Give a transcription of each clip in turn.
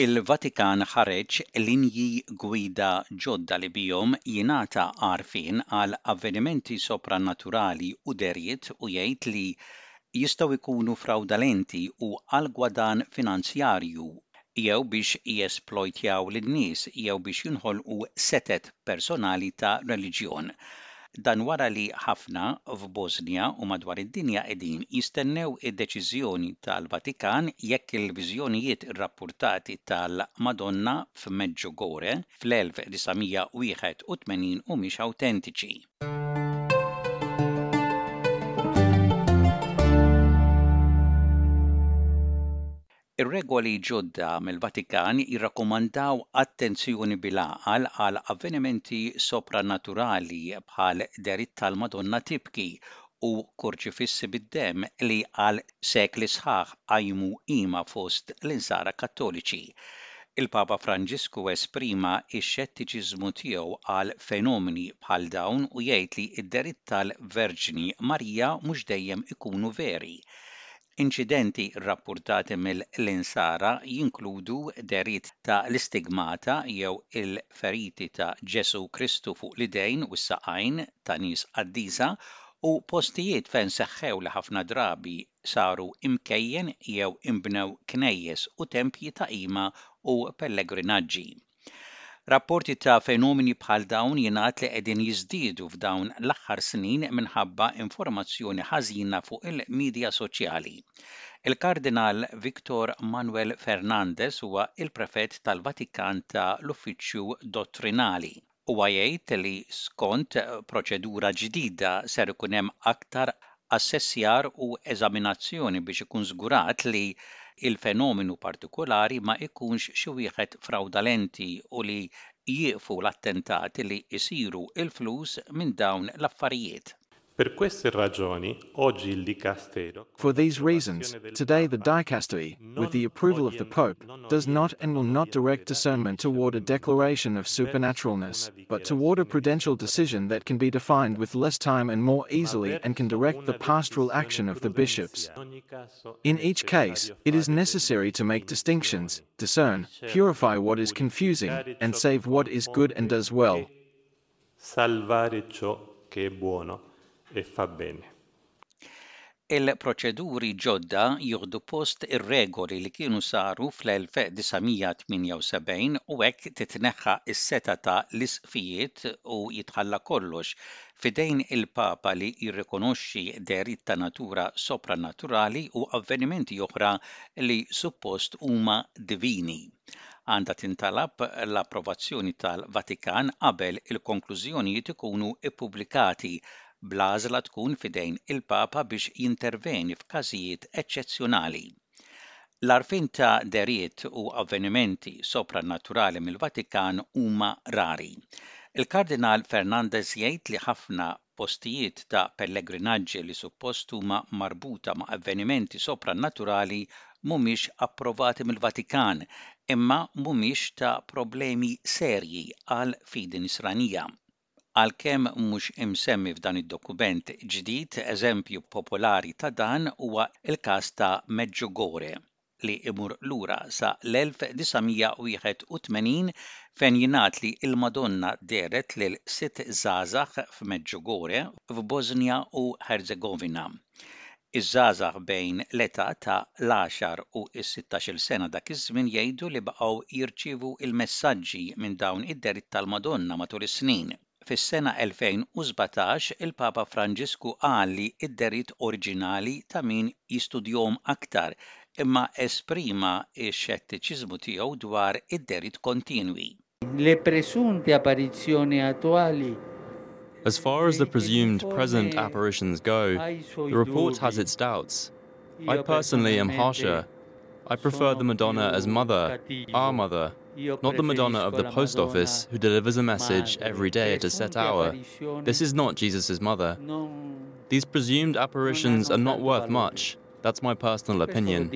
Il-Vatikan ħareġ linji gwida ġodda li bihom jingħata għarfien għal avvenimenti sopranaturali u dehriet u jgħid li jistgħu jkunu frawdalenti u għal gwadann finanzjarju jew biex jesplojtjaw lin-nies jew biex jinħolqu setet personali ta' reliġjon. Dan wara li ħafna f'Bosnia u madwar id-dinja qegħdin jistennew id-deċiżjoni tal-Vatikan jekk il-viżjonijiet irrappurtati tal-Madonna f'Medjugorje fl-1981 humiex awtentiċi. Ir-regoli ġodda mill-Vatikan jirrakkomandaw attenzjoni bil-għaqal għal avvenimenti sopranaturali bħal dehriet tal-Madonna tibki u kurċifissi bid-demm li għal sekli sħaħ qajmu qima fost l-Insara Kattoliċi. Il-Papa Franġisku esprima x-xettiċiżmu tiegħu għal fenomeni bħal dawn u jgħid li d-dehriet tal-Verġni Marija mhux dejjem ikunu veri. Inċidenti rrappurtati mill-Insara jinkludu dehriet ta' l-istigmata jew il-feriti ta' Ġesù Kristu fuq l-idejn u s-saqajn ta' nies qaddisa u postijiet fejn seħħew li ħafna drabi saru imkejjen jew inbnew knejjes u tempji ta' qima u pellegrinaġġi. Rapporti ta' fenomeni bħal dawn jingħad li qegħdin jiżdiedu f'dawn l-aħħar snin minħabba informazzjoni ħażina fuq il-midja soċjali. Il-Kardinal Victor Manuel Fernandez huwa l-Prefett tal-Vatikan ta' l-Uffiċċju Dottrinali. Huwa jgħid li skont proċedura ġdida ser ikun hemm aktar assessjar u eżaminazzjoni biex ikun żgurat li l-fenomenu partikulari ma jkunx xi wieħed frawdalenti u li jieqfu l-attentati li jsiru l-flus minn dawn l-affarijiet. Per queste ragioni, oggi il Dicastero For these reasons, today the dicastery, with the approval of the Pope, does not and will not direct discernment toward a declaration of supernaturalness, but toward a prudential decision that can be defined with less time and more easily and can direct the pastoral action of the bishops. In each case, it is necessary to make distinctions, discern, purify what is confusing, and save what is good and does well. Salvare ciò che è buono e fa bene. Il-proċeduri ġodda jieħdu post ir-regoli li kienu saru fl-1978 u hekk titneħħa s-setgħa ta' l-isqfijiet u jitħalla kollox f'idejn il-Papa li jirrikonoxxi dehriet ta' natura sopranaturali u avvenimenti oħra li suppost huma divini. Għandha tintalab l-approvazzjoni tal-Vatikan qabel il-konklużjonijiet ikunu ppubblikati, bl-għażla tkun f'idejn il-Papa biex jinterveni f'każijiet eċċezzjonali. L-għarfien ta' dehriet u avvenimenti sopranaturali mill-Vatikan huma rari. Il-Kardinal Fernandez jgħid li ħafna postijiet ta' pellegrinaġġi li suppost huma marbuta ma' avvenimenti sopranaturali mhumiex approvati mill-Vatikan, imma mhumiex ta' problemi serji għall-fidi Nisranija. Għalkemm mhux imsemmi f'dan id-dokument ġdid, eżempju popolari ta' dan huwa l-każ ta' Medjugorje. li imur lura sa l-1981 fejn jingħad li l-Madonna dehret lil sitt żgħażagħ f'Medjugorje f'Bosnia u Ħerzegovina. Iż-żgħażagħ bejn l-età ta' l-għaxar u s-sittax-il sena dak iż-żmien jgħidu li baqgħu jirċievu l-messaġġi minn dawn id-dehriet tal-Madonna matul is-snin. Fis-sena 2017, il-Papa Franġisku qal li d-dehriet oriġinali ta' min jistudjahom aktar, imma esprima x-xettiċiżmu tiegħu dwar id-dehriet kontinwi. Le presunte apparizioni attuali As far as the presumed present apparitions go, the report has its doubts. I personally am harsher. I prefer the Madonna as mother, our mother, not the Madonna of the post office who delivers a message every day at a set hour. This is not Jesus' mother. These presumed apparitions are not worth much. That's my personal opinion.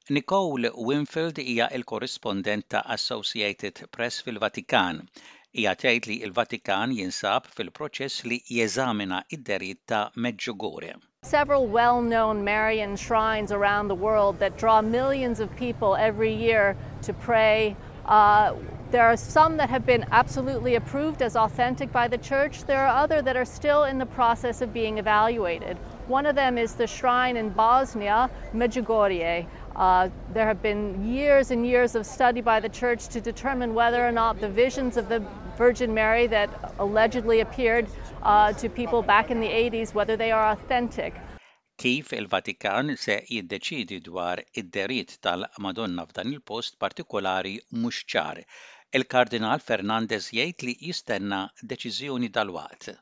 Nicole Winfield hija l-korrispondent ta' Associated Press fil-Vatikan. Hija tgħid li l-Vatikan jinsab fil-proċess li jeżamina d-dehriet ta' Medjugorje. Several well-known Marian shrines around the world that draw millions of people every year to pray. Uh, there are some that have been absolutely approved as authentic by the church. There are other that are still in the process of being evaluated. One of them is the shrine in Bosnia, Medjugorje. Uh, there have been years and years of study by the church to determine whether or not the visions of the Virgin Mary that allegedly appeared uh, to people back in the 80s, whether they are authentic. Kif il-Vatikan se jiddeċiedi dwar id-dehriet tal-Madonna f'dan il-post partikolari mhux ċar. Il-Kardinal Fernandez jgħid li jistenna deċiżjoni dalwaqt.